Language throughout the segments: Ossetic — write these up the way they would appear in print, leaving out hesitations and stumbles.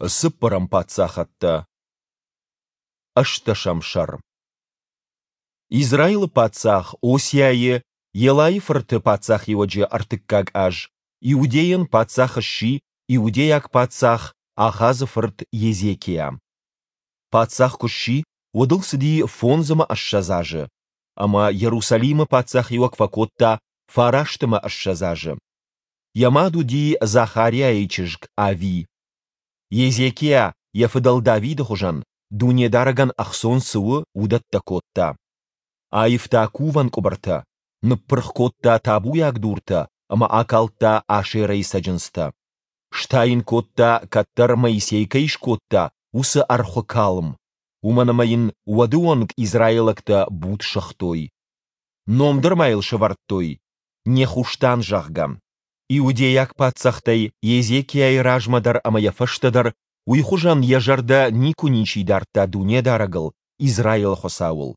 Цыппӕрӕм паддзахӕдтӕ. Ӕстдӕсӕм сӕр. Израилы паддзах Осиайы, Елайы фырты паддзахиуӕджы ӕртыккаг аз Иудейӕн паддзах сси иудейаг паддзах Ахазы фырт Езекиа. Паддзах куы сси, уӕд ыл цыди 25 азы, ӕмӕ Иерусалимы паддзахиуӕг фӕкодта 29 азы. Йӕ мад уыди Захариайы чызг Ави. Езекиа йӕ фыдӕл Давиды хуызӕн, Дунедарӕгӕн ӕхцон цы у, уыдӕттӕ кодта. Аивта кувӕн къуыбыртӕ, ныппырх кодта табуйаг дуртӕ ӕмӕ акалдта Ашерӕйы цӕджындзтӕ. Стайын кодта, кӕддӕр Моисей кӕй скодта, уыцы ӕрхуы калм, уымӕн ӕмӕ йын уӕды онг израилӕгтӕ буд сыгътой. Ном дӕр ма йыл сӕвӕрдтой, Нехуштан, зӕгъгӕ. Иудейаг паддзӕхтӕй Езекиайы размӕ дӕр ӕмӕ йӕ фӕстӕ дӕр уый хуызӕн йӕ зӕрдӕ никуы ничи дардта Дунедарӕгыл, Израилы Хуыцауыл.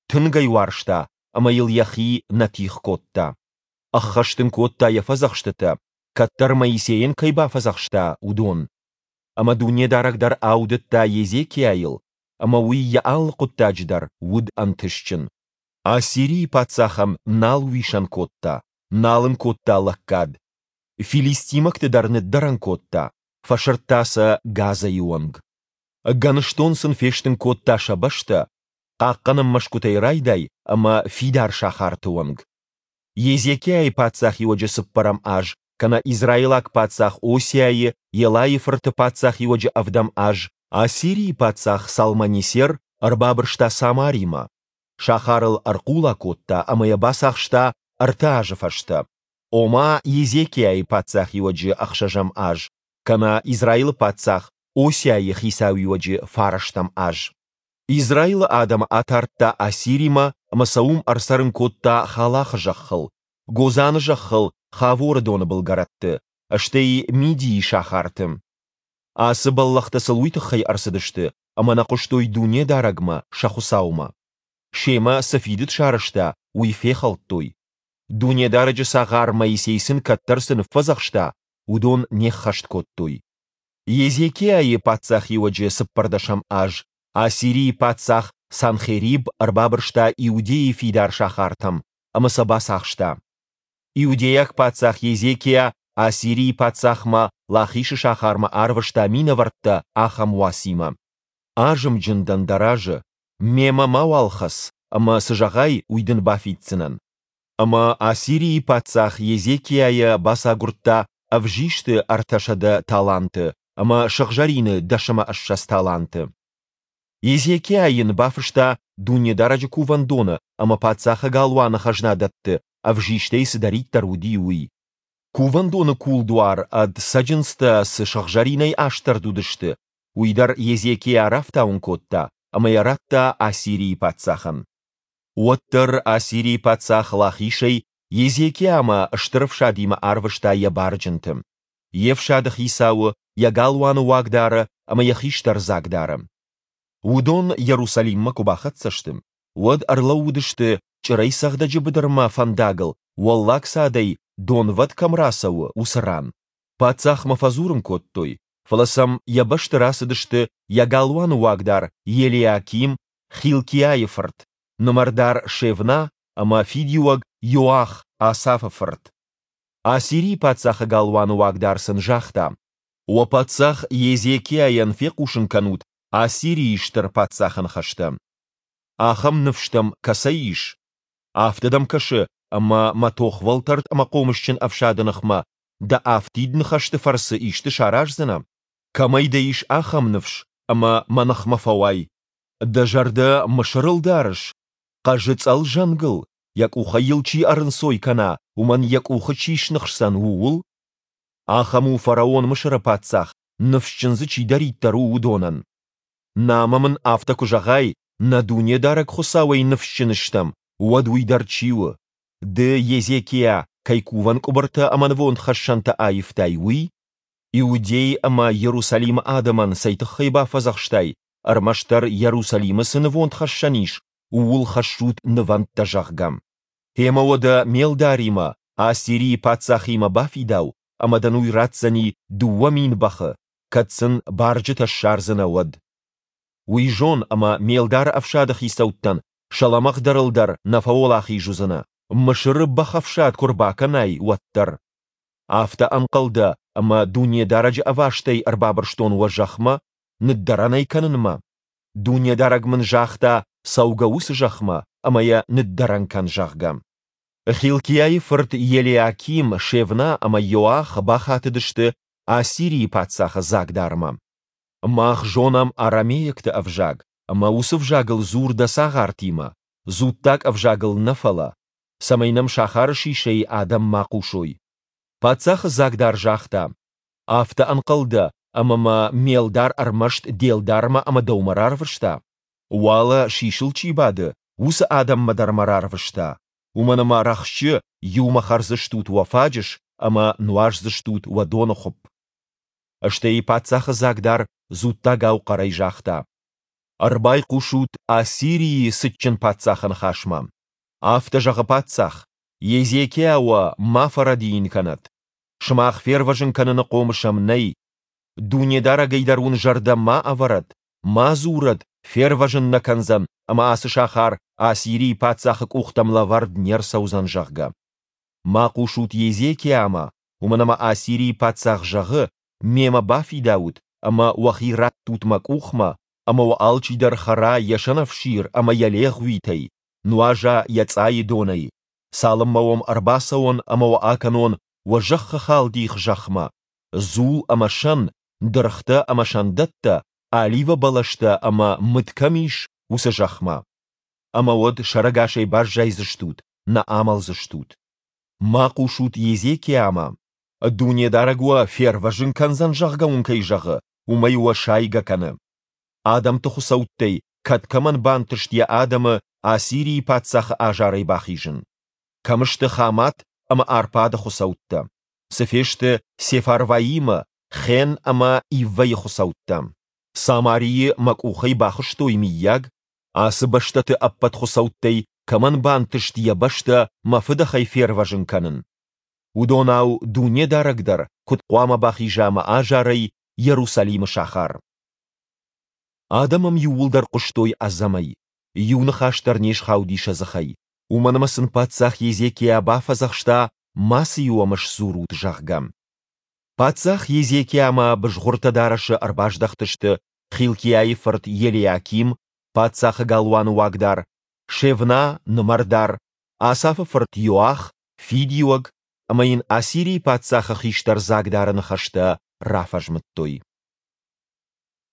Тынг ӕй уарзта ӕмӕ йыл йӕхи нӕ тигъ кодта. Ӕххӕст ын кодта йӕ фӕдзӕхстытӕ, кӕддӕр Моисейӕн кӕй бафӕдзӕхста, уыдон. Ӕмӕ Дунедарӕг дӕр аудыдта Езекиайыл, ӕмӕ уый йӕ алы хъуыддаджы дӕр уыд ӕнтыстджын. Ассирийы паддзахӕн нал уисӕн кодта, нал ын кодта лӕггад. Филистимӕгты дӕр ныддӕрӕн кодта, фӕсырдта сӕ Газӕйы онг. Гӕныстон сын фестын кодта сӕ бӕстӕ, хъахъхъӕнӕн мӕсгуытӕй райдай ӕмӕ фидар сахарты онг. Езекиайы паддзахиуӕджы цыппӕрӕм аз кӕнӕ израилаг паддзах Осиайы Елайы фырты паддзахиуӕджы ӕвдӕм аз Ассирийы паддзах Салманесер ӕрбабырста Самаримӕ, сахарыл ӕрхъула кодта ӕмӕ йӕ бацахста ӕртӕ азы фӕстӕ, ома Езекиайы паддзахиуӕджы ӕхсӕзӕм аз, кӕнӕ Израилы паддзах Осиайы хицауиуӕджы фарӕстӕм аз. Израилы адӕмы атардта Ассиримӕ ӕмӕ сӕ уым ӕрцӕрын кодта Халахы зӕххыл, Гозаны зӕххыл Хаворы доны былгӕрӕтты, стӕй Мидийы сахарты. Ацы бӕллӕхтӕ сыл уый тыххӕй ӕрцыдысты, ӕмӕ нӕ хъуыстой Дунедарӕгмӕ, сӕ Хуыцаумӕ. Семӕ цы фидыд сарӕзта, уый фехӕлдтой. Дунедарӕджы цагъар Моисей сын кӕддӕр цы ныффӕдзӕхста, уыдон не ххӕст кодтой. Езекиайы паддзахиуӕджы цыппӕрдӕсӕм аз Ассирийы паддзах Санхериб ӕрбабырста Иудейы фидар сахартӕм ӕмӕ сӕ бацахста. Иудейаг паддзах Езекиа Ассирийы паддзахмӕ Лахишы сахармӕ арвыста минӕвӕрттӕ ахӕм уацимӕ: «Азымджын дӕн дӕ разы, мемӕ мауал хӕц, ӕмӕ цы зӕгъай, уый дын бафиддзынӕн». Ӕмӕ Ассирийы паддзах Езекиайӕ бацагуырдта ӕвзисты 300 таланты ӕмӕ сыгъзӕрины 10 ӕмӕ 20 таланты. Езекиа йын бафыста Дунедарӕджы кувӕндоны ӕмӕ паддзахы галуаны хӕзнадӕтты ӕвзистӕй цыдӕриддӕр уыди, уый. Кувӕндоны кулдуар ӕд цӕджындзтӕ цы сыгъзӕринӕй астӕрд уыдысты, уый дӕр Езекиа рафтауын кодта ӕмӕ йӕ радта Ассирийы паддзахӕн. Уӕддӕр Ассирийы паддзах Лахишӕй Езекиамӕ стыр ӕфсадимӕ арвыста йӕ барджынты, йе фсады хицауы, йӕ галуаны уагдары ӕмӕ йӕ хистӕр дзагдары. Уыдон Иерусалиммӕ куы бахӕццӕ сты, уӕд ӕрлӕууыдысты Чъырӕйцӕгъдӕджы быдырмӕ фӕндагыл Уӕллаг цадӕй донвӕд кӕм рацӕуы, уыцы ран. Паддзахмӕ фӕдзурын кодтой, фӕлӕ сӕм йӕ бӕсты рацыдысты йӕ галуаны уагдар Елиаким, Хилкиайы фырт, нымӕрдар Шевна ӕмӕ фидиуӕг Иоах, Асафы фырт. Ассирийы паддзахы галуаны уагдар сын загъта: Уӕ паддзах Езекиайӕн фехъусын кӕнут Ассирийы стыр паддзахы ныхӕстӕ. Ахӕм ныфс дӕм кӕцӕй ис? Афтӕ дӕм кӕсы, ӕмӕ мӕ тохвӕлтӕрд ӕмӕ хъомысджын ӕфсады ныхмӕ дӕ афтид ныхӕсты фӕрцы исты сараздзынӕ? Кӕмӕй дӕ ис ахӕм ныфс, ӕмӕ мӕ ныхмӕ фӕуай? Дӕ зӕрдӕ Мысырыл дарыс, хъӕзы цъӕл зӕнгыл, йӕ къухӕй йыл чи ӕрынцой кӕна, уымӕн йӕ къухы чи сныхсдзӕн, ууыл? Ахӕм у фараон Мысыры паддзах, ныфсджын дзы чидӕриддӕр у, уыдонӕн. Намӕ мын афтӕ куы зӕгъай, нӕ Дунедарӕг Хуыцауӕй ныфсджын стӕм, уӕд уый дӕр чи у? Ды, Езекиа, кӕй кувӕн къуыбыртӕ ӕмӕ нывондхӕссӕнтӕ аивтай, уый? Иудей ӕмӕ Иерусалимы адӕмӕн цӕй тыххӕй бафӕдзӕхстай, ӕрмӕстдӕр Иерусалимы цы нывондхӕссӕн ис, ууыл хӕссут нывӕндтӕ, зӕгъгӕ? Гъемӕ уӕдӕ ме лдаримӕ, Ассирийы паддзахимӕ бафидау, ӕмӕ дын уый ратдзӕни 2000 бӕхы, кӕд сын барджытӕ ссардзынӕ, уӕд. Уый зон, ӕмӕ ме лдары ӕфсады хицӕуттӕн сӕ лӕмӕгъдӕрыл дӕр нӕ фӕуӕлахиз уыдзынӕ, Мысыры бӕхӕфсад куы рбакӕнай, уӕддӕр. Афтӕ ӕнхъӕл дӕ, ӕмӕ Дунедарӕджы ӕвастӕй ӕрбабырстон уӕ зӕхмӕ, ныддӕрӕн ӕй кӕнынмӕ? Дунедарӕг мын загъта, цӕугӕ уыцы зӕхмӕ ӕмӕ йӕ ныддӕрӕн кӕн, зӕгъгӕ. Хилкиайы фырт Елиаким, Шевна ӕмӕ Йоах бахатыдысты Ассирийы паддзахы дзагдармӕ. Мах зонӕм арамейӕгты ӕвзаг, ӕмӕ уыцы взагыл дзур дӕ цагъартимӕ, дзуттаг ӕвзагыл нӕ фӕлӕ, цӕмӕй нӕм сахары сисӕй адӕм ма хъусой. Паддзахы дзагдар загъта, Афтӕ ӕнхъӕл дӕ, ӕмӕ мӕ ме лдар ӕрмӕст де лдармӕ ӕмӕ дӕумӕ рарвыста? Уӕлӕ сисыл чи бады, уыцы адӕммӕ дӕр мӕ рарвыста, уымӕн ӕмӕ рӕхджы иумӕ хӕрдзыстут уӕ фаджыс ӕмӕ нуаздзыстут уӕ доныхуыпп. Стӕй паддзахы дзагдар дзуттагау хъӕрӕй загъта, Ӕрбайхъусут Ассирийы цытджын паддзахы ныхасмӕ. Афтӕ зӕгъы паддзах, Езекиа уӕ ма фӕрӕдийын кӕнӕд. Сымах фервӕзын кӕныны хъомыс ӕм нӕй. Дунедарӕгӕй дӕр уын зӕрдӕ ма ӕвӕрӕд, ма дзурӕд, фервӕзын нӕ кӕндзӕн ӕмӕ ацы сахар Ассирийы паддзахы къухтӕм лӕвӕрд не рцӕудзӕн, зӕгъгӕ. Ма хъусут Езекиамӕ, уымӕн ӕмӕ Ассирийы паддзах зӕгъы, мемӕ бафидаут ӕмӕ уӕхи раттут мӕ къухмӕ, ӕмӕ уӕ алчидӕр хӕра йӕ сӕнӕфсир ӕмӕ йӕ легъуитӕй, нуаза йӕ цъайы донӕй, цалынмӕ уӕм ӕрбацӕуон ӕмӕ уӕ акӕнон уӕ зӕххы халдих зӕхмӕ, дзул ӕмӕ сӕн, дыргътӕ ӕмӕ сӕндӕттӕ, оливӕ бӕлӕстӕ ӕмӕ мыд кӕм ис, уыцы зӕхмӕ. Ӕмӕ уӕд сӕрӕгасӕй баззайдзыстут, нӕ амӕлдзыстут. Ма хъусут Езекиамӕ, Дунедарӕг уӕ фервӕзын кӕндзӕн, зӕгъгӕ уын кӕй зӕгъы, уымӕй уӕ сайгӕ кӕны. Адӕмты хуыцӕуттӕй кӕд кӕмӕн бантыст йӕ адӕмы Ассирийы паддзахы азарӕй бахизын? Кӕм сты Хамат ӕмӕ Арпады хуыцӕуттӕ? Цы фесты Сефарваимы, Хен ӕмӕ Иввӕйы хуыцӕуттӕ? Самарийы мӕ къухӕй бахызтой, мыййаг? Ацы бӕстӕты ӕппӕт хуыцӕуттӕй кӕмӕн бантыст йӕ бӕстӕ мӕ фыдӕхӕй фервӕзын кӕнын? Уыдонау Дунедарӕг дӕр куыд хъуамӕ бахиза мӕ азарӕй Иерусалимы сахар? Адӕм ӕм иууылдӕр хъуыстой ӕдзӕмӕй, иу ныхас дӕр не схауди сӕ дзыхӕй, уымӕн ӕмӕ сын паддзах Езекиа бафӕдзӕхста, мацы-иу ӕм сдзурут, зӕгъгӕ. Паддзах Езекиамӕ бызгъуыртӕ дарӕсы ӕрбаздӕхтысты Хилкиайы фырт Елиаким, паддзахы галуаны уагдар, Шевна, нымӕрдар, Асафы фырт Иоах, фидиуӕг, ӕмӕ йын Ассирийы паддзахы хистӕр дзагдары ныхӕстӕ рафӕзмыдтой.